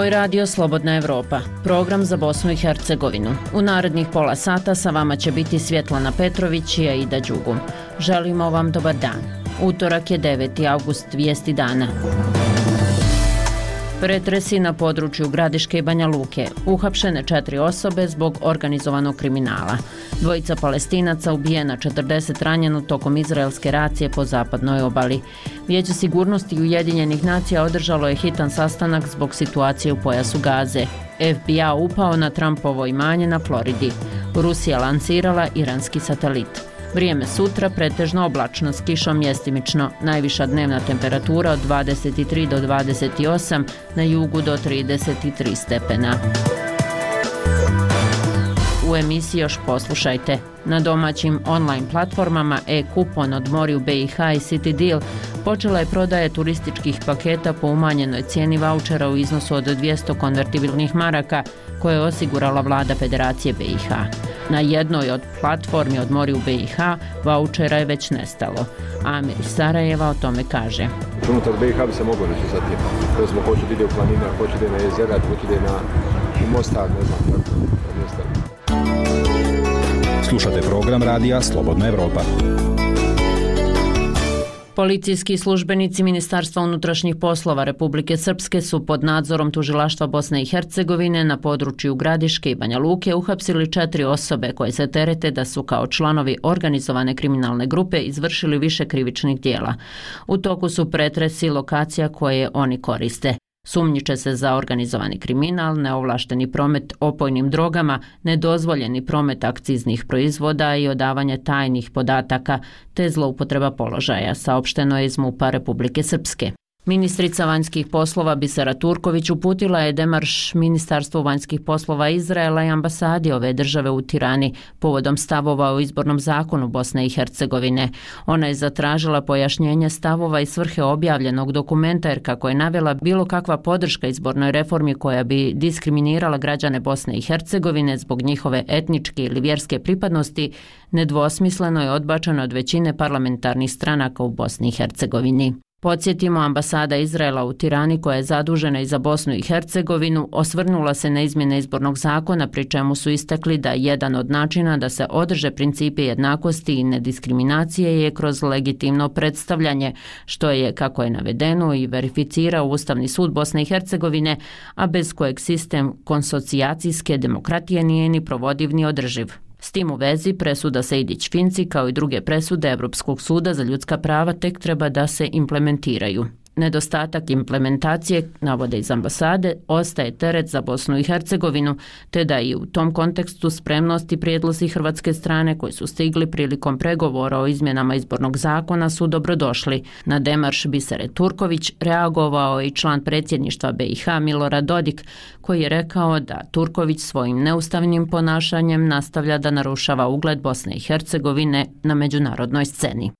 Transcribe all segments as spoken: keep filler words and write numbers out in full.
Ovo je radio Slobodna Evropa, program za Bosnu i Hercegovinu. U narednih pola sata sa vama će biti Svjetlana Petrović i Aida Đugum. Želimo vam dobar dan. Utorak je deveti avgust, vijesti dana. Pretresi na području Gradiške i Banja Luke. Uhapšene četiri osobe zbog organizovanog kriminala. Dvojica Palestinaca ubijena, četrdeset ranjeno tokom izraelske racije po zapadnoj obali. Vijeće sigurnosti Ujedinjenih nacija održalo je hitan sastanak zbog situacije u pojasu Gaze. F B A upao na Trumpovo imanje na Floridi. Rusija lansirala iranski satelit. Vrijeme sutra pretežno oblačno s kišom mjestimično, najviša dnevna temperatura od dvadeset tri do dvadeset osam, na jugu do trideset tri stepena. U emisiji još poslušajte. Na domaćim online platformama e-kupon od Moriju B i H i City Deal počela je prodaja turističkih paketa po umanjenoj cijeni vaučera u iznosu od dvjesto konvertibilnih maraka koje je osigurala vlada Federacije B i H. Na jednoj od platformi od Moriju B i H vaučera je već nestalo. Amir iz Sarajeva o tome kaže. Unutar B i H bi se moglo reći za tim. To smo hoće ide u planine, hoće ide na jezera, hoće ide na Mostar, ne znam kako. Slušate program radija Slobodna Evropa. Policijski službenici Ministarstva unutrašnjih poslova Republike Srpske su pod nadzorom Tužilaštva Bosne i Hercegovine na području Gradiške i Banja Luke uhapsili četiri osobe koje se terete da su kao članovi organizovane kriminalne grupe izvršili više krivičnih dijela. U toku su pretresi lokacija koje oni koriste. Sumnjiče se za organizovani kriminal, neovlašteni promet opojnim drogama, nedozvoljeni promet akciznih proizvoda i odavanje tajnih podataka te zloupotreba položaja, saopšteno je iz MUP-a Republike Srpske. Ministrica vanjskih poslova Bisera Turković uputila je demarš Ministarstvu vanjskih poslova Izraela i ambasadi ove države u Tirani povodom stavova o izbornom zakonu Bosne i Hercegovine. Ona je zatražila pojašnjenje stavova i svrhe objavljenog dokumenta jer, kako je navela, bilo kakva podrška izbornoj reformi koja bi diskriminirala građane Bosne i Hercegovine zbog njihove etničke ili vjerske pripadnosti nedvosmisleno je odbačeno od većine parlamentarnih stranaka u Bosni i Hercegovini. Podsjetimo, ambasada Izraela u Tirani, koja je zadužena i za Bosnu i Hercegovinu, osvrnula se na izmjene izbornog zakona, pri čemu su istakli da jedan od načina da se održe principi jednakosti i nediskriminacije je kroz legitimno predstavljanje, što je, kako je navedeno, i verificirao Ustavni sud Bosne i Hercegovine, a bez kojeg sistem konsocijacijske demokratije nije ni provodiv ni održiv. S tim u vezi presuda Sejdić-Finci kao i druge presude Europskog suda za ljudska prava tek treba da se implementiraju. Nedostatak implementacije, navode iz ambasade, ostaje teret za Bosnu i Hercegovinu, te da i u tom kontekstu spremnosti prijedlozi hrvatske strane koji su stigli prilikom pregovora o izmjenama izbornog zakona su dobrodošli. Na demarš Bisere Turković reagovao i član predsjedništva B i H Milorad Dodik, koji je rekao da Turković svojim neustavnim ponašanjem nastavlja da narušava ugled Bosne i Hercegovine na međunarodnoj sceni.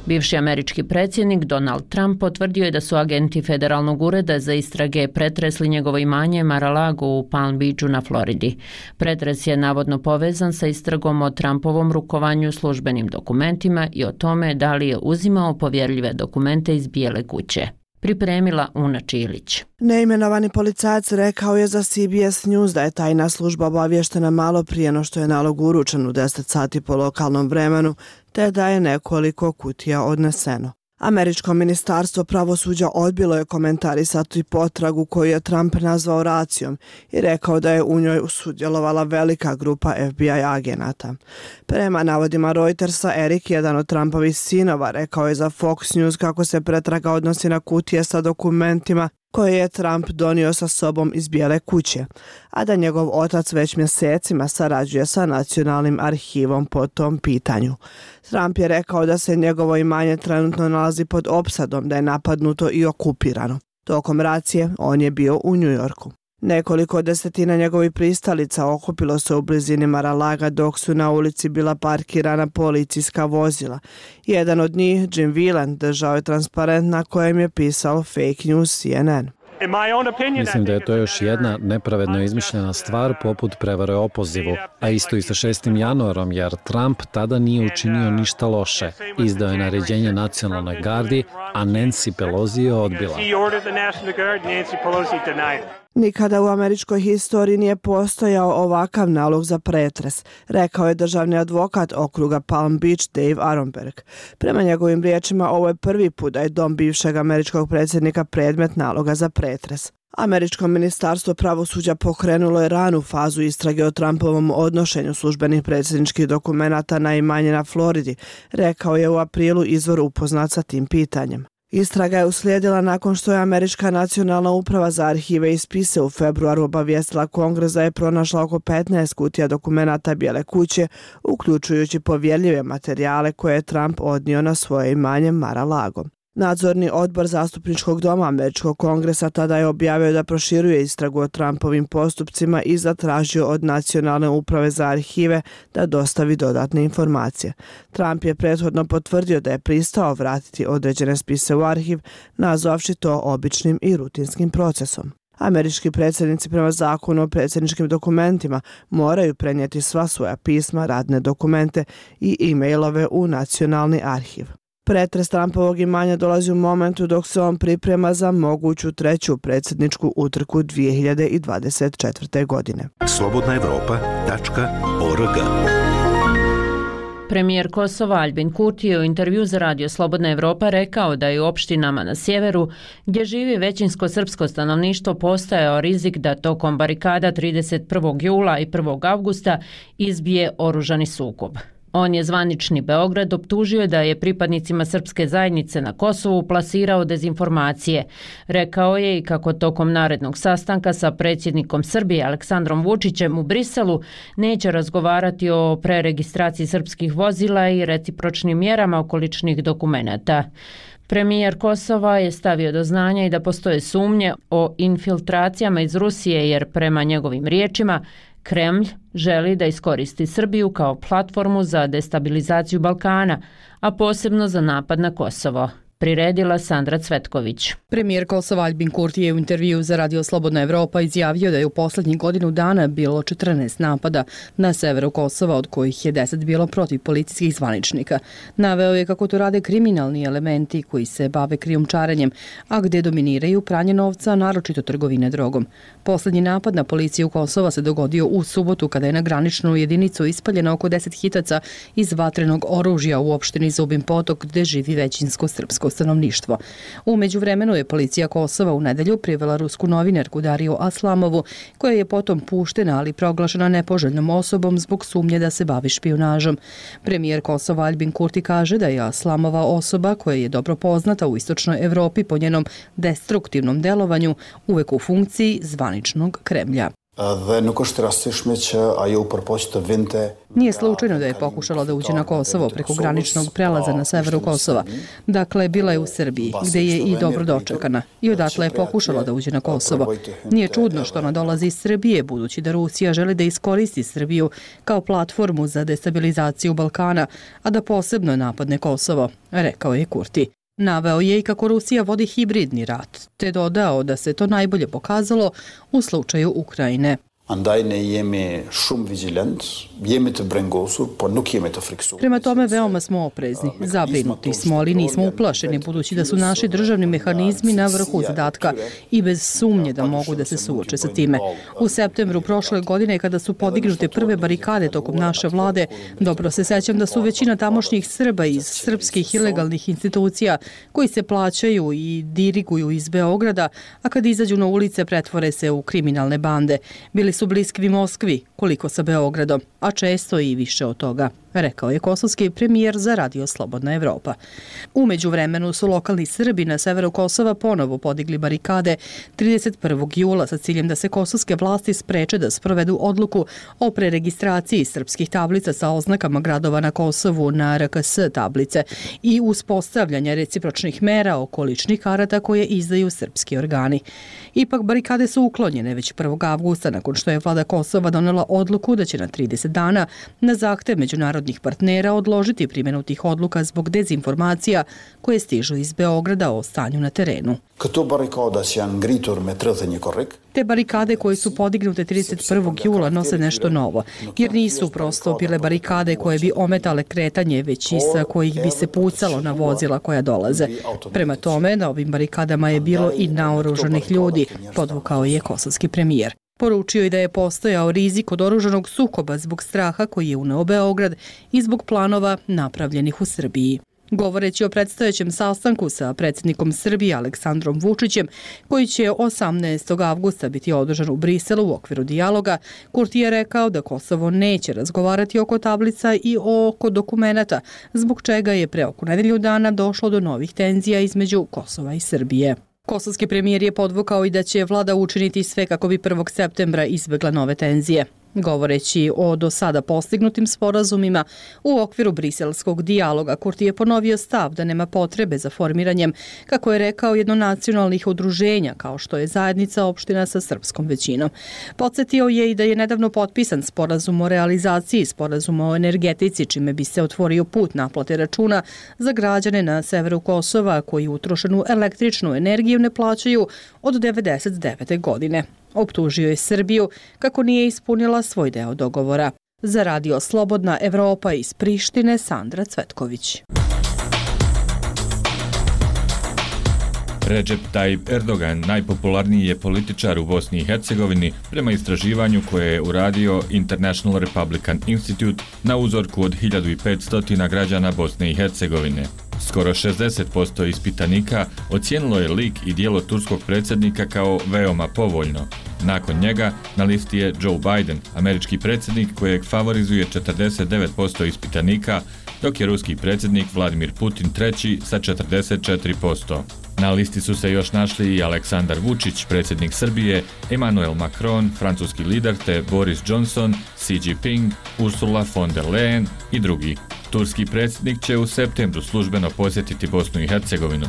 Bivši američki predsjednik Donald Trump potvrdio je da su agenti Federalnog ureda za istrage pretresli njegovo imanje Mar-a-Lago u Palm Beachu na Floridi. Pretres je navodno povezan sa istragom o Trumpovom rukovanju službenim dokumentima i o tome da li je uzimao povjerljive dokumente iz Bijele kuće. Pripremila Una Čilić. Neimenovani policajac rekao je za C B S News da je tajna služba obavještena malo prije no što je nalog uručen u deset sati po lokalnom vremenu, te da je nekoliko kutija odneseno. Američko ministarstvo pravosuđa odbilo je komentarisati potragu koju je Trump nazvao racijom i rekao da je u njoj sudjelovala velika grupa F B I agenata. Prema navodima Reutersa, Erik, jedan od Trumpovih sinova, rekao je za Fox News kako se pretraga odnosi na kutije sa dokumentima koje je Trump donio sa sobom iz Bijele kuće, a da njegov otac već mjesecima sarađuje sa nacionalnim arhivom po tom pitanju. Trump je rekao da se njegovo imanje trenutno nalazi pod opsadom, da je napadnuto i okupirano. Tokom racije on je bio u New Yorku. Nekoliko desetina njegovih pristalica okupilo se u blizini Mar-a-Laga dok su na ulici bila parkirana policijska vozila. Jedan od njih, Jim Whelan, držao je transparent na kojem je pisao Fake News C N N. Mislim da je to još jedna nepravedno izmišljena stvar poput prevare o opozivu, a isto i sa šestim januarom, jer Trump tada nije učinio ništa loše. Izdao je naređenje nacionalnoj gardi, a Nancy Pelosi je odbila. Nikada u američkoj historiji nije postojao ovakav nalog za pretres, rekao je državni advokat okruga Palm Beach Dave Aronberg. Prema njegovim riječima, ovo je prvi put da je dom bivšeg američkog predsjednika predmet naloga za pretres. Američko ministarstvo pravosuđa pokrenulo je ranu fazu istrage o Trumpovom odnošenju službenih predsjedničkih dokumenata na imanje na Floridi, rekao je u aprilu izvor upoznat sa tim pitanjem. Istraga je uslijedila nakon što je Američka nacionalna uprava za arhive i spise u februaru obavijestila Kongres da je pronašla oko petnaest kutija dokumenata Bijele kuće, uključujući povjerljive materijale koje je Trump odnio na svoje imanje Mar-a-Lago. Nadzorni odbor zastupničkog doma Američkog kongresa tada je objavio da proširuje istragu o Trumpovim postupcima i zatražio od Nacionalne uprave za arhive da dostavi dodatne informacije. Trump je prethodno potvrdio da je pristao vratiti određene spise u arhiv, nazvavši to običnim i rutinskim procesom. Američki predsjednici prema zakonu o predsjedničkim dokumentima moraju prenijeti sva svoja pisma, radne dokumente i e-mailove u Nacionalni arhiv. Pretres Trumpovog imanja dolazi u momentu dok se on priprema za moguću treću predsjedničku utrku dvije hiljade dvadeset četvrte. godine. slobodna evropa tačka org. Premijer Kosova Aljbin Kurti je u intervju za Radio Slobodna Evropa rekao da je u opštinama na sjeveru, gdje živi većinsko srpsko stanovništvo, postojao rizik da tokom barikada trideset prvog jula i prvog avgusta izbije oružani sukob. On je zvanični Beograd optužio da je pripadnicima srpske zajednice na Kosovu plasirao dezinformacije. Rekao je i kako tokom narednog sastanka sa predsjednikom Srbije Aleksandrom Vučićem u Briselu neće razgovarati o preregistraciji srpskih vozila i recipročnim mjerama okoličnih dokumenata. Premijer Kosova je stavio do znanja i da postoje sumnje o infiltracijama iz Rusije, jer prema njegovim riječima Kremlj želi da iskoristi Srbiju kao platformu za destabilizaciju Balkana, a posebno za napad na Kosovo. Priredila Sandra Cvetković. Premijer Kosova Aljbin Kurti je u intervju za Radio Slobodna Evropa izjavio da je u posljednjih godinu dana bilo četrnaest napada na severu Kosova, od kojih je deset bilo protiv policijskih zvaničnika. Naveo je kako to rade kriminalni elementi koji se bave krijumčarenjem, a gdje dominiraju pranje novca, naročito trgovine drogom. Posljednji napad na policiju Kosova se dogodio u subotu kada je na graničnu jedinicu ispaljeno oko deset hitaca iz vatrenog oružja u opštini Zubin Potok, gdje živi većinsko srpsko stanovništvo. U međuvremenu je policija Kosova u nedelju privela rusku novinarku Dariju Aslamovu, koja je potom puštena, ali proglašena nepoželjnom osobom zbog sumnje da se bavi špijunažom. Premijer Kosova Aljbin Kurti kaže da je Aslamova osoba koja je dobro poznata u istočnoj Evropi po njenom destruktivnom delovanju, uvek u funkciji zvaničnog Kremlja. Nije slučajno da je pokušala da uđe na Kosovo preko graničnog prelaza na severu Kosova. Dakle, bila je u Srbiji, gdje je i dobro dočekana. I odatle je pokušala da uđe na Kosovo. Nije čudno što ona dolazi iz Srbije, budući da Rusija želi da iskoristi Srbiju kao platformu za destabilizaciju Balkana, a da posebno napadne Kosovo, rekao je Kurti. Naveo je i kako Rusija vodi hibridni rat, te dodao da se to najbolje pokazalo u slučaju Ukrajine. Prema tome, veoma smo oprezni. Zabrinuti smo, ali nismo uplašeni, budući da su naši državni mehanizmi na vrhu zadatka i bez sumnje da mogu da se suoče sa time. U septembru prošle godine, kada su podignute prve barikade tokom naše vlade, dobro se sećam da su većina tamošnjih Srba iz srpskih ilegalnih institucija koji se plaćaju i diriguju iz Beograda, a kad izađu na ulice pretvore se u kriminalne bande. Bili su bliski Moskvi, koliko sa Beogradom, a često i više od toga, rekao je kosovski premijer za Radio Slobodna Evropa. U međuvremenu su lokalni Srbi na severu Kosova ponovo podigli barikade trideset prvog jula sa ciljem da se kosovske vlasti spreče da sprovedu odluku o preregistraciji srpskih tablica sa oznakama gradova na Kosovu na R K S tablice i uspostavljanja recipročnih mera oko ličnih karata koje izdaju srpski organi. Ipak barikade su uklonjene već prvog avgusta nakon što je vlada Kosova donela odluku da će na trideset dana na zahtev međunarodnih zapadnih partnera odložiti primjenu tih odluka zbog dezinformacija koje stižu iz Beograda o stanju na terenu. Te barikade koje su podignute trideset prvog jula nose nešto novo, jer nisu prosto bile barikade koje bi ometale kretanje, već iz kojih bi se pucalo na vozila koja dolaze. Prema tome, na ovim barikadama je bilo i naoružanih ljudi, podvukao je kosovski premijer. Poručio je da je postojao rizik od oružanog sukoba zbog straha koji je uneo Beograd i zbog planova napravljenih u Srbiji. Govoreći o predstojećem sastanku sa predsjednikom Srbije Aleksandrom Vučićem, koji će osamnaestog avgusta biti održan u Briselu u okviru dijaloga, Kurti je rekao da Kosovo neće razgovarati oko tablica i oko dokumenata, zbog čega je pre oko nedelju dana došlo do novih tenzija između Kosova i Srbije. Kosovski premijer je podvukao i da će vlada učiniti sve kako bi prvog septembra izbjegla nove tenzije. Govoreći o do sada postignutim sporazumima u okviru briselskog dijaloga, Kurti je ponovio stav da nema potrebe za formiranjem, kako je rekao, jednonacionalnih udruženja, kao što je zajednica opština sa srpskom većinom. Podsjetio je i da je nedavno potpisan sporazum o realizaciji sporazuma o energetici, čime bi se otvorio put naplate računa za građane na severu Kosova koji utrošenu električnu energiju ne plaćaju od devedeset devete godine. Optužio je Srbiju kako nije ispunila svoj deo dogovora. Za Radio Slobodna Evropa iz Prištine, Sandra Cvetković. Recep Tayyip Erdogan najpopularniji je političar u Bosni i Hercegovini prema istraživanju koje je uradio International Republican Institute na uzorku od hiljadu petsto građana Bosne i Hercegovine. Skoro šezdeset posto ispitanika ocijenilo je lik i djelo turskog predsjednika kao veoma povoljno. Nakon njega na listi je Joe Biden, američki predsjednik kojeg favorizuje četrdeset devet posto ispitanika, dok je ruski predsjednik Vladimir Putin treći sa četrdeset četiri posto. Na listi su se još našli i Aleksandar Vučić, predsjednik Srbije, Emmanuel Macron, francuski lider, te Boris Johnson, Xi Jinping, Ursula von der Leyen i drugi. Turski predsjednik će u septembru službeno posjetiti Bosnu i Hercegovinu.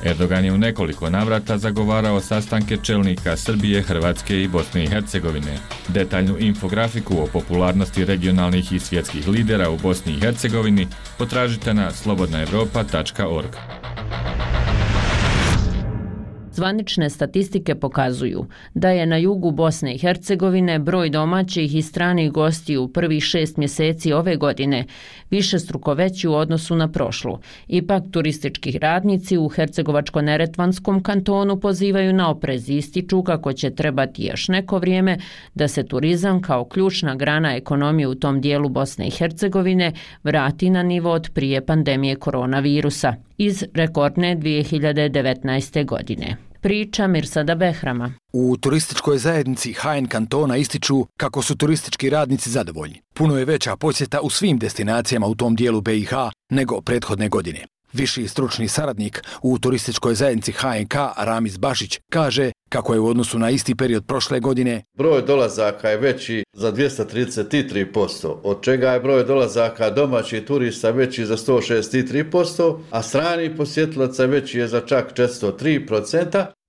Erdogan je u nekoliko navrata zagovarao sastanke čelnika Srbije, Hrvatske i Bosne i Hercegovine. Detaljnu infografiku o popularnosti regionalnih i svjetskih lidera u Bosni i Hercegovini potražite na slobodna evropa tačka org. Zvanične statistike pokazuju da je na jugu Bosne i Hercegovine broj domaćih i stranih gostiju u prvih šest mjeseci ove godine višestruko veći u odnosu na prošlu. Ipak turistički radnici u Hercegovačko-neretvanskom kantonu pozivaju na oprez i ističu kako će trebati još neko vrijeme da se turizam kao ključna grana ekonomije u tom dijelu Bosne i Hercegovine vrati na nivo od prije pandemije koronavirusa iz rekordne dvije hiljade devetnaeste. godine. Priča Mirsada Behrama. U turističkoj zajednici H N kantona ističu kako su turistički radnici zadovoljni. Puno je veća posjeta u svim destinacijama u tom dijelu B i H nego prethodne godine. Viši stručni saradnik u turističkoj zajednici H N K Ramiz Bašić kaže kako je u odnosu na isti period prošle godine broj dolazaka je veći za dvjesto trideset tri posto, od čega je broj dolazaka domaćih turista veći za sto šezdeset tri posto, a strani posjetilaca veći je za čak četiristo tri posto.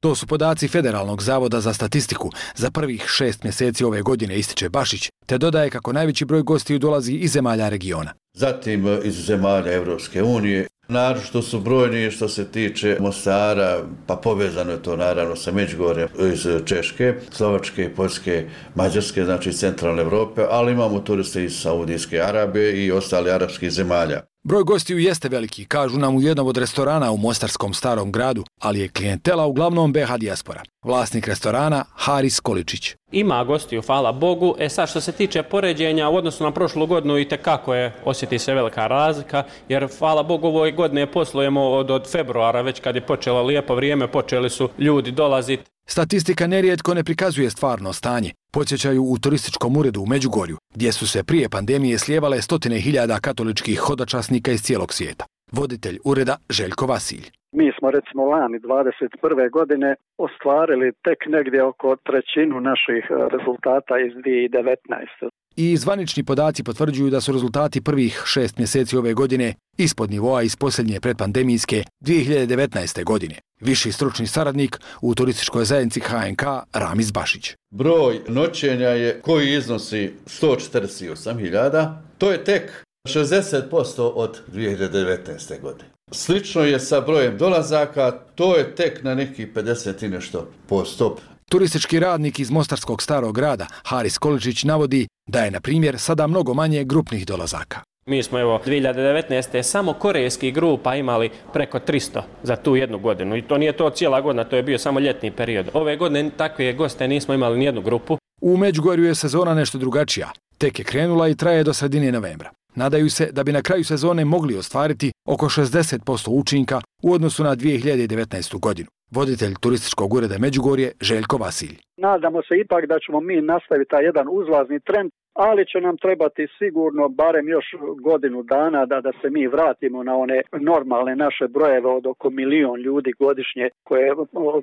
To su podaci Federalnog zavoda za statistiku za prvih šest mjeseci ove godine, ističe Bašić, te dodaje kako najveći broj gostiju dolazi iz zemalja regiona. Zatim iz zemalja Evropske unije. Naročito su brojni što se tiče Mostara, pa povezano je to naravno sa Međugorjem iz Češke, Slovačke, Poljske, Mađarske, znači centralne Evrope, ali imamo turiste iz Saudijske Arabije i ostali arapskih zemalja. Broj gostiju jeste veliki, kažu nam u jednom od restorana u Mostarskom Starom gradu, ali je klijentela uglavnom B H dijaspora. Vlasnik restorana Haris Količić. Ima gostiju, hvala Bogu. E sad što se tiče poređenja u odnosu na prošlu godinu i tekako je, osjeti se velika razlika, jer hvala Bogu ovoj godine poslujemo od, od februara, već kad je počelo lijepo vrijeme, počeli su ljudi dolaziti. Statistika nerijetko ne prikazuje stvarno stanje. Podsjećaju u turističkom uredu u Međugorju, gdje su se prije pandemije slijevale stotine hiljada katoličkih hodočasnika iz cijelog svijeta. Voditelj ureda Željko Vasilj. Mi smo recimo lani dvadeset prve. godine ostvarili tek negdje oko trećinu naših rezultata iz dvije hiljade devetnaeste. I zvanični podaci potvrđuju da su rezultati prvih šest mjeseci ove godine ispod nivoa iz posljednje predpandemijske dvije hiljade devetnaeste. godine. Viši stručni saradnik u turističkoj zajednici H N K Ramiz Bašić. Broj noćenja je koji iznosi sto četrdeset osam hiljada. To je tek šezdeset posto od dvije hiljade devetnaeste. godine. Slično je sa brojem dolazaka, to je tek na nekih pedeset i nešto posto. Turistički radnik iz Mostarskog starog grada, Haris Količić, navodi da je, na primjer, sada mnogo manje grupnih dolazaka. Mi smo evo dvije hiljade devetnaeste. samo korejskih grupa imali preko tristo za tu jednu godinu i to nije to cijela godina, to je bio samo ljetni period. Ove godine takve goste nismo imali ni jednu grupu. U Međugorju je sezona nešto drugačija. Tek je krenula i traje do sredine novembra. Nadaju se da bi na kraju sezone mogli ostvariti oko šezdeset posto učinka u odnosu na dvije hiljade devetnaestu. godinu. Voditelj turističkog ureda Međugorje Željko Vasilj. Nadamo se ipak da ćemo mi nastaviti taj jedan uzlazni trend, ali će nam trebati sigurno barem još godinu dana da, da se mi vratimo na one normalne naše brojeve od oko milion ljudi godišnje koje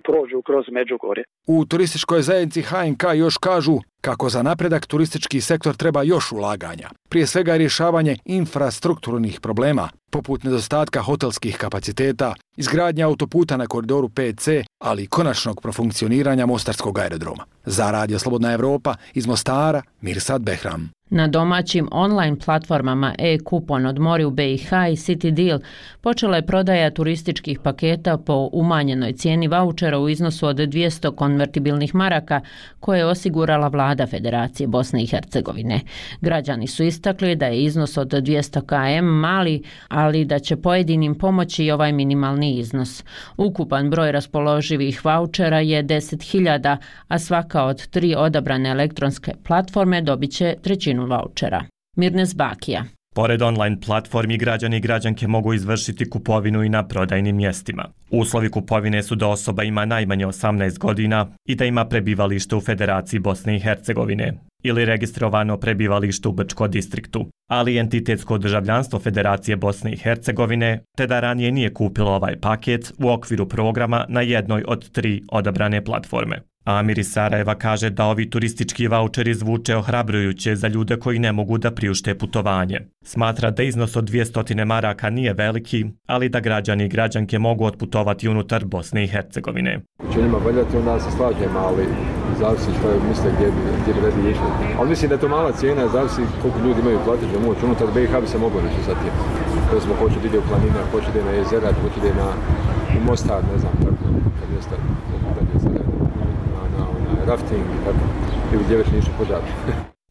prođu kroz Međugorje. U turističkoj zajednici H N K još kažu kako za napredak turistički sektor treba još ulaganja. Prije svega rješavanje infrastrukturnih problema, poput nedostatka hotelskih kapaciteta, izgradnja autoputa na koridoru pet C, ali i konačnog profunkcioniranja Mostarskog aerodroma. Za Radio Slobodna Evropa iz Mostara, Mirsad Behram. Na domaćim online platformama e-kupon odmori u B i H i City Deal počela je prodaja turističkih paketa po umanjenoj cijeni vaučera u iznosu od dvjesto konvertibilnih maraka koje je osigurala vlada Federacije Bosne i Hercegovine. Građani su istakli da je iznos od dvjesto kilometara mali, ali da će pojedinim pomoći i ovaj minimalni iznos. Ukupan broj raspoloživih vaučera je deset hiljada, a svaka od tri odabrane elektronske platforme dobit će trećinu vaučera. Mirnes Bakija. Pored online platformi, građani i građanke mogu izvršiti kupovinu i na prodajnim mjestima. Uslovi kupovine su da osoba ima najmanje osamnaest godina i da ima prebivalište u Federaciji Bosne i Hercegovine ili registrovano prebivalište u Brčko distriktu, ali entitetsko državljanstvo Federacije Bosne i Hercegovine, te da ranije nije kupilo ovaj paket u okviru programa na jednoj od tri odabrane platforme. Amir iz Sarajeva kaže da ovi turistički vaučeri zvuče ohrabrujuće za ljude koji ne mogu da priušte putovanje. Smatra da iznos od dvjesto maraka nije veliki, ali da građani i građanke mogu otputovati unutar Bosne i Hercegovine. Će njima valjati, onda se slažem, ali zavisi što je misle gdje bi, gdje bi radi išli. Ali mislim da je to mala cijena, zavisi koliko ljudi imaju platičnu moć. Unutar B i H bi se moglo reći sa tim. Da smo hoće da ide u planine, hoće da ide na jezera, hoće da ide na u Mostar, ne znam, tako, kad je sta, kad je sta, na, na, na rafting i tako, ili gdje već nisu požari.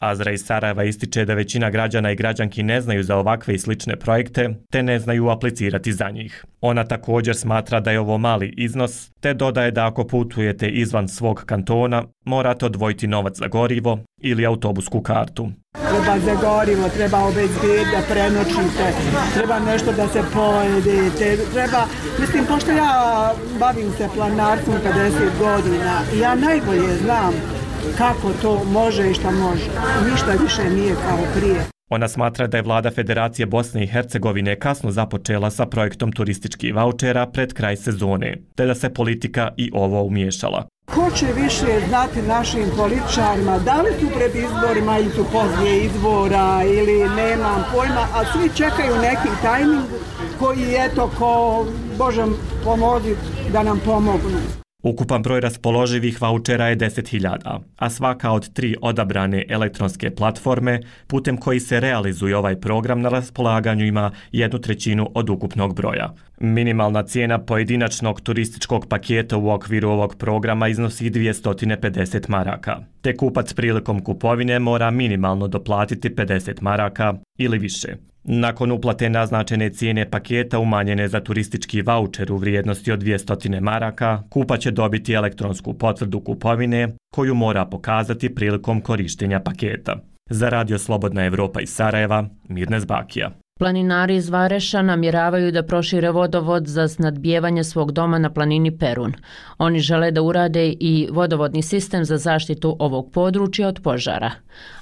Azra iz Sarajeva ističe da većina građana i građanki ne znaju za ovakve i slične projekte, te ne znaju aplicirati za njih. Ona također smatra da je ovo mali iznos, te dodaje da ako putujete izvan svog kantona, morate odvojiti novac za gorivo ili autobusku kartu. Treba za gorivo, treba obezbijeti da prenoćite, treba nešto da se pojedete, treba, mislim, pošto ja bavim se planarstvom pedeset godina i ja najbolje znam kako to može i šta može. Ništa više nije kao prije. Ona smatra da je vlada Federacije Bosne i Hercegovine kasno započela sa projektom turističkih vaučera pred kraj sezone, te da se politika i ovo umiješala. Ko će više znati našim političarima, da li su pred izborima ili su poslije izbora ili nemam pojma, a svi čekaju neki tajming koji eto ko Bože pomozi da nam pomognu. Ukupan broj raspoloživih vaučera je deset hiljada, a svaka od tri odabrane elektronske platforme putem koji se realizuje ovaj program na raspolaganju ima jednu trećinu od ukupnog broja. Minimalna cijena pojedinačnog turističkog paketa u okviru ovog programa iznosi dvjesto pedeset maraka, te kupac prilikom kupovine mora minimalno doplatiti pedeset maraka ili više. Nakon uplate naznačene cijene paketa umanjene za turistički vaučer u vrijednosti od dvjesto maraka, kupac će dobiti elektronsku potvrdu kupovine koju mora pokazati prilikom korištenja paketa. Za Radio Slobodna Evropa iz Sarajeva, Mirnes Bakija. Planinari iz Vareša namjeravaju da prošire vodovod za snadbijevanje svog doma na planini Perun. Oni žele da urade i vodovodni sistem za zaštitu ovog područja od požara.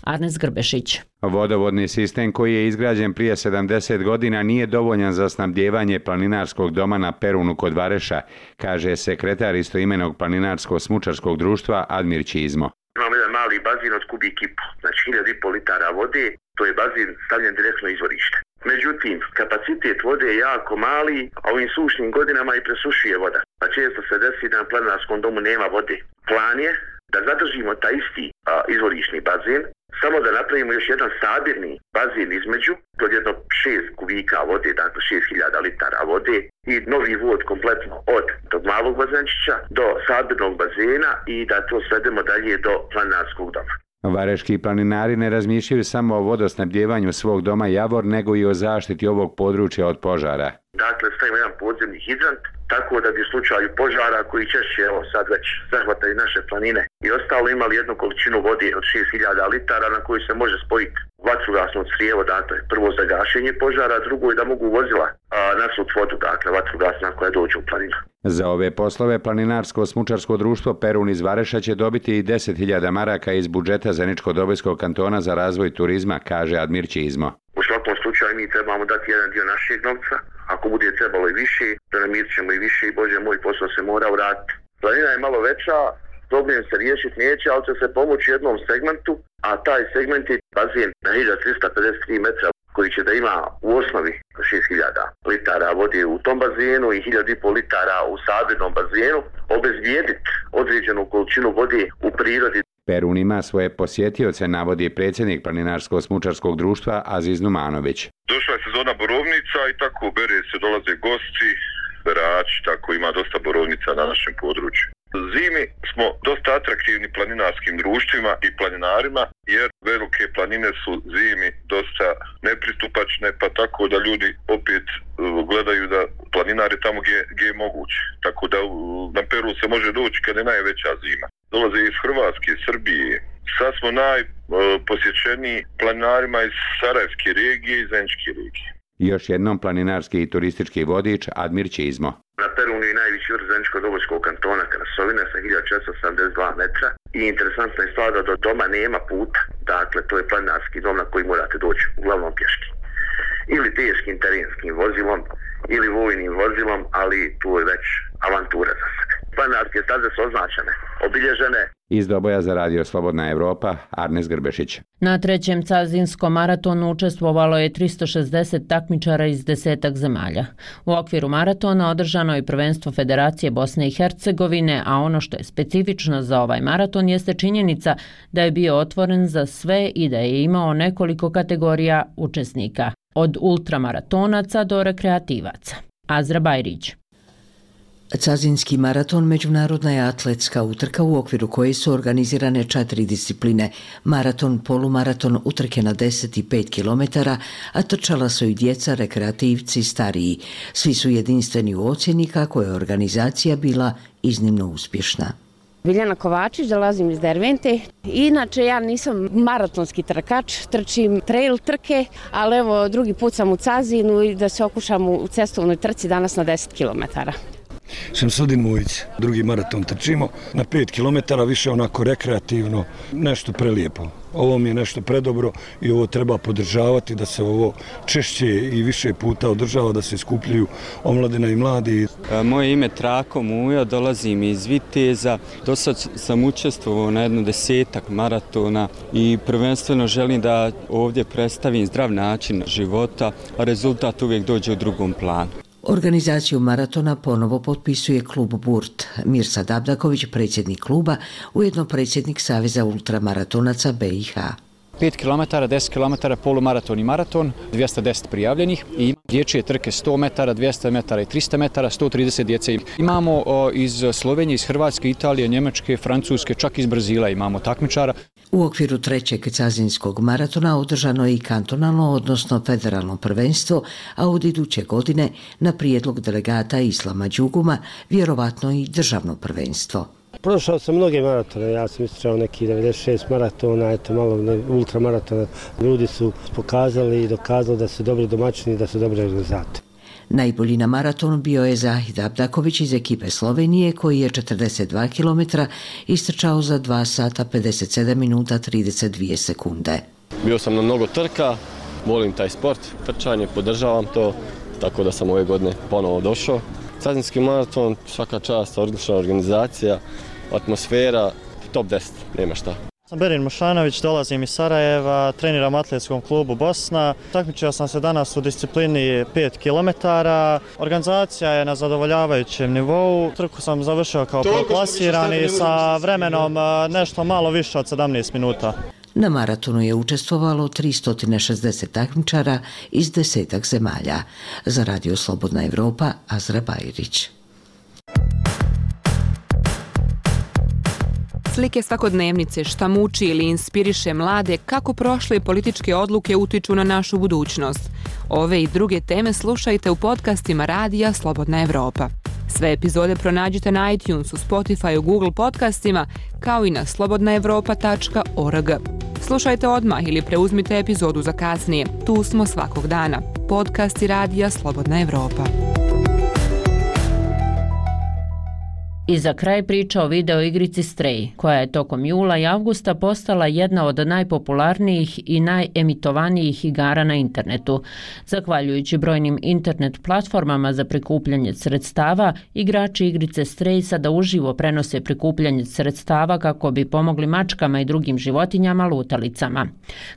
Arnes Grbešić. Vodovodni sistem koji je izgrađen prije sedamdeset godina nije dovoljan za snabdijevanje planinarskog doma na Perunu kod Vareša, kaže sekretar istoimenog planinarsko-smučarskog društva Admir Čizmo. Imamo jedan mali bazin od kubik i po, znači hiljadu i pol litara vode, to je bazin stavljen direktno u izvorište. Međutim, kapacitet vode je jako mali, a ovim sušnim godinama i presušuje voda. Pa često se desi da na planinarskom domu nema vode. Plan je da zadržimo taj isti a, izvorišni bazin, samo da napravimo još jedan sabirni bazin između, to je jedno šest kubika vode, dakle šest hiljada litara vode i novi vod kompletno od tog malog bazenčića do sabirnog bazena i da to svedemo dalje do planinarskog doma. Vareški planinari ne razmišljaju samo o vodosnabdjevanju svog doma Javor, nego i o zaštiti ovog područja od požara. Dakle, stavimo jedan podzemni hidrant, tako da bi u slučaju požara koji češće, evo sad već zahvataju naše planine i ostalo, imali jednu količinu vode od šest hiljada litara na koju se može spojiti vatrogasno crijevo, dakle prvo za gašenje požara, drugo je da mogu vozila a, nasut vodu, dakle vatrogasna koja dođe u planinu. Za ove poslove planinarsko-smučarsko društvo Perun iz Vareša će dobiti i deset hiljada maraka iz budžeta Zeničko-Dobojskog kantona za razvoj turizma, kaže Admir Čizmo. U svakom slučaju mi trebamo dati jedan dio našeg novca, ako bude trebalo i više, da namirit ćemo i više i Bože moj, posao se mora vratiti. Planina je malo veća, problem se riješiti neće, ali će se pomoći jednom segmentu, a taj segment je bazen na hiljadu trista pedeset tri metra koji će da ima u osnovi šest hiljada litara vode u tom bazenu i hiljadu i pol litara u sabirnom bazenu, obezbijediti određenu količinu vode u prirodi. Perun ima svoje posjetioce, navodi predsjednik planinarsko-smučarskog društva Aziz Numanović. Došla je sezona borovnica i tako bere se, dolaze gosti, berači, tako ima dosta borovnica na našem području. Zimi smo dosta atraktivni planinarskim društvima i planinarima, jer velike planine su zimi dosta nepristupačne, pa tako da ljudi opet gledaju da planinari tamo gdje, gdje je moguće. Tako da na Peru se može doći kad je najveća zima. Dolaze iz Hrvatske, Srbije. Sad smo najposjećeniji planinarima iz Sarajevske regije i Zeničke regije. Još jednom planinarski i turistički vodič Admir Čizmo. Na Perunu je najviši vrh Zeničko-Dobojskog kantona Krasovina sa hiljadu četiristo sedamdeset dva metra i interesantna je stvar da do doma nema puta. Dakle, to je planinarski dom na koji morate doći, uglavnom pješki. Ili teškim terenskim vozilom, ili vojnim vozilom, ali tu je već avantura za sad. Planinarske staze su označene, obilježene. Iz Doboja za Radio Slobodna Evropa, Arnes Grbešić. Na trećem cazinskom maratonu učestvovalo je tristo šezdeset takmičara iz desetak zemalja. U okviru maratona održano je prvenstvo Federacije Bosne i Hercegovine, a ono što je specifično za ovaj maraton jeste činjenica da je bio otvoren za sve i da je imao nekoliko kategorija učesnika, od ultramaratonaca do rekreativaca. Azra Bajrić. Cazinski maraton međunarodna je atletska utrka u okviru koje su organizirane četiri discipline: maraton, polumaraton, utrke na deset i pet kilometara, a trčala su i djeca, rekreativci, stariji. Svi su jedinstveni u ocjeni kako je organizacija bila iznimno uspješna. Biljana Kovačić, dolazim iz Dervente. Inače, ja nisam maratonski trkač, trčim trail trke, ali evo drugi put sam u Cazinu i da se okušam u cestovnoj trci danas na deset kilometara. Šemsudin Mujić, drugi maraton trčimo na pet kilometara, više onako rekreativno, nešto prelijepo. Ovo mi je nešto predobro i ovo treba podržavati, da se ovo češće i više puta održava, da se skupljaju omladina i mladi. Moje ime Trako Mujo, dolazim iz Viteza. Do sad sam učestvovao na jednu desetak maratona i prvenstveno želim da ovdje predstavim zdrav način života, a rezultat uvijek dođe u drugom planu. Organizaciju maratona ponovo potpisuje klub Burt. Mirsad Abdaković, predsjednik kluba, ujedno predsjednik Saveza ultramaratonaca B i H. pet kilometara, deset kilometara, polumaraton i maraton, dvjesto deset prijavljenih i dječje trke sto metara, dvjesto metara i tristo metara, sto trideset djece. Imamo o, iz Slovenije, iz Hrvatske, Italije, Njemačke, Francuske, čak iz Brazila imamo takmičara. U okviru trećeg cazinskog maratona održano je i kantonalno, odnosno federalno prvenstvo, a od iduće godine na prijedlog delegata Islama Đuguma vjerovatno i državno prvenstvo. Prošao sam mnoge maratone, ja sam istrčao neki devedeset šest maratona, eto malo ultramaratona. Ljudi su pokazali i dokazali da su dobri domaćini i da su dobri organizatori. Najbolji na maraton bio je Zahid Abdaković iz ekipe Slovenije, koji je četrdeset dva kilometra istrčao za dva sata pedeset sedam minuta trideset dvije sekunde. Bio sam na mnogo trka, volim taj sport, trčanje, podržavam to, tako da sam ove godine ponovo došao. Cazinski maraton, svaka čast, odlična organizacija, atmosfera, top deset, nema šta. Sam Berin Mošanović, dolazim iz Sarajeva, treniram u atletskom klubu Bosna. Takmičio sam se danas u disciplini pet kilometara. Organizacija je na zadovoljavajućem nivou. Trku sam završio kao prvoplasirani sa vremenom nešto malo više od sedamnaest minuta. Na maratonu je učestvovalo tristo šezdeset takmičara iz desetak zemalja. Za Radio Slobodna Evropa, Azra Bajrić. Slike svakodnevnice šta muči ili inspiriše mlade kako prošle političke odluke utiču na našu budućnost. Ove i druge teme slušajte u podcastima Radija Slobodna Evropa. Sve epizode pronađite na iTunesu, Spotifyu, Google podcastima, kao i na slobodna evropa tačka org. Slušajte odmah ili preuzmite epizodu za kasnije. Tu smo svakog dana. Podcasti Radija Slobodna Evropa. I za kraj priča o video igrici Stray, koja je tokom jula i avgusta postala jedna od najpopularnijih i najemitovanijih igara na internetu. Zahvaljujući brojnim internet platformama za prikupljanje sredstava, igrači igrice Stray sada uživo prenose prikupljanje sredstava kako bi pomogli mačkama i drugim životinjama lutalicama.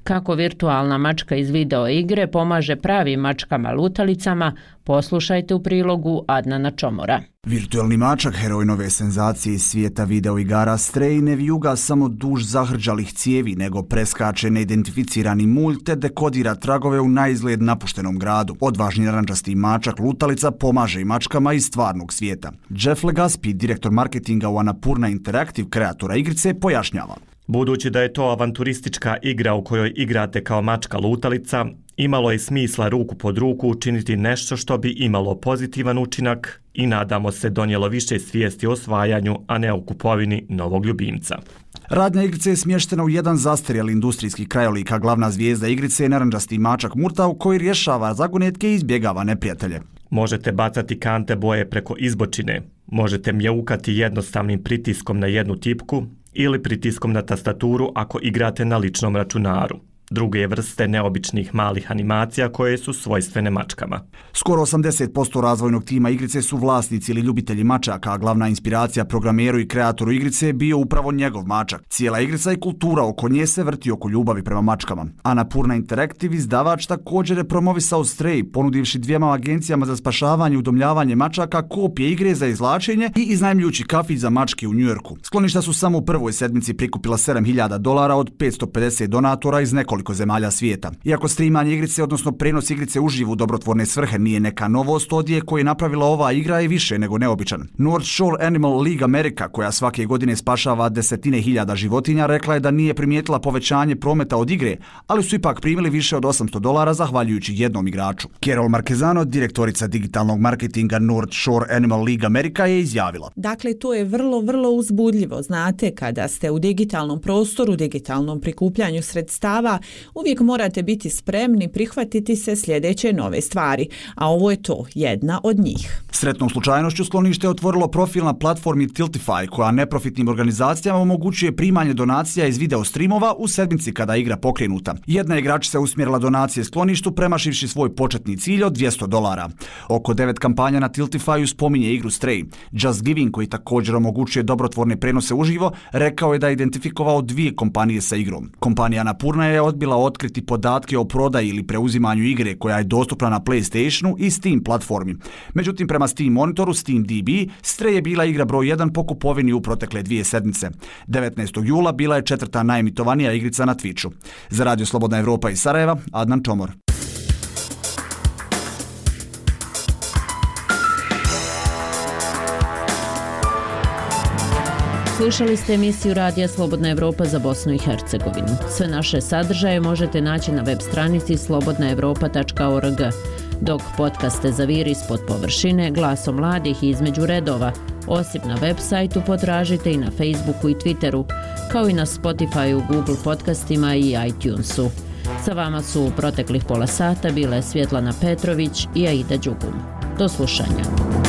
Kako virtualna mačka iz video igre pomaže pravim mačkama lutalicama, poslušajte u prilogu Adnana Čomora. Virtualni mačak, heroj nove senzacije iz svijeta videoigara Stray, ne vijuga samo duž zahrđalih cijevi, nego preskače neidentificirani mulj te dekodira tragove u naizgled napuštenom gradu. Odvažni narančasti mačak lutalica pomaže i mačkama iz stvarnog svijeta. Jeff Legaspi, direktor marketinga u Annapurna Interactive, kreatora igrice, pojašnjava. Budući da je to avanturistička igra u kojoj igrate kao mačka lutalica, imalo je smisla ruku pod ruku učiniti nešto što bi imalo pozitivan učinak i nadamo se donijelo više svijesti o osvajanju, a ne o kupovini novog ljubimca. Radnja igrice je smještena u jedan zastarjeli industrijski krajolik, a glavna zvijezda igrice je narančasti mačak Murtav koji rješava zagonetke i izbjegava neprijatelje. Možete bacati kante boje preko izbočine, možete mjaukati jednostavnim pritiskom na jednu tipku ili pritiskom na tastaturu ako igrate na ličnom računaru. Druge vrste neobičnih malih animacija koje su svojstvene mačkama. Skoro osamdeset posto razvojnog tima igrice su vlasnici ili ljubitelji mačaka, a glavna inspiracija programeru i kreatoru igrice je bio upravo njegov mačak. Cijela igrica i kultura oko nje se vrti oko ljubavi prema mačkama. Annapurna Interactive, izdavač, također je promovisao Stray, ponudivši dvijema agencijama za spašavanje i udomljavanje mačaka kopije igre za izvlačenje i iznajmljujući kafić za mačke u Njujorku. Skloništa su samo u prvoj sedmici prikupila sedam hiljada dolara od petsto pedeset donatora iz nekoliko zemalja svijeta. Iako streamanje igrice, odnosno prenos igrice uživo u dobrotvorne svrhe nije neka novost, odjek koji je napravila ova igra je više nego neobičan. North Shore Animal League America, koja svake godine spašava desetine hiljada životinja, rekla je da nije primijetila povećanje prometa od igre, ali su ipak primili više od osamsto dolara zahvaljujući jednom igraču. Carol Marquezano, direktorica digitalnog marketinga North Shore Animal League America, je izjavila. Dakle, to je vrlo, vrlo uzbudljivo. Znate, kada ste u digitalnom prostoru, digitalnom prikupljanju sredstava, uvijek morate biti spremni prihvatiti se sljedeće nove stvari, a ovo je to, jedna od njih. Sretnom slučajnošću sklonište je otvorilo profil na platformi Tiltify, koja neprofitnim organizacijama omogućuje primanje donacija iz video streamova u sedmici kada je igra pokrenuta. Jedna igračica je usmjerila donacije skloništu premašivši svoj početni cilj od dvjesto dolara. Oko devet kampanja na Tiltifyu spominje igru Stray. Just Giving, koji također omogućuje dobrotvorne prenose uživo, rekao je da je identifikovao dvije kompanije sa igrom. Kompanija Annapurna je odbila otkriti podatke o prodaji ili preuzimanju igre koja je dostupna na PlayStationu i Steam platformi. Međutim, prema Steam monitoru Steam D B, Stray je bila igra broj jedan po kupovini u protekle dvije sedmice. devetnaestog jula bila je četvrta najemitovanija igrica na Twitchu. Za Radio Slobodna Evropa iz Sarajeva, Adnan Čomor. Slušali ste emisiju Radija Slobodna Evropa za Bosnu i Hercegovinu. Sve naše sadržaje možete naći na web stranici slobodna evropa tačka org. Dok podcaste zaviri ispod površine, glasom mladih i između redova, osim na web sajtu potražite i na Facebooku i Twitteru, kao i na Spotifyu, Google podcastima i iTunesu. Sa vama su u proteklih pola sata bile Svjetlana Petrović i Aida Đugum. Do slušanja.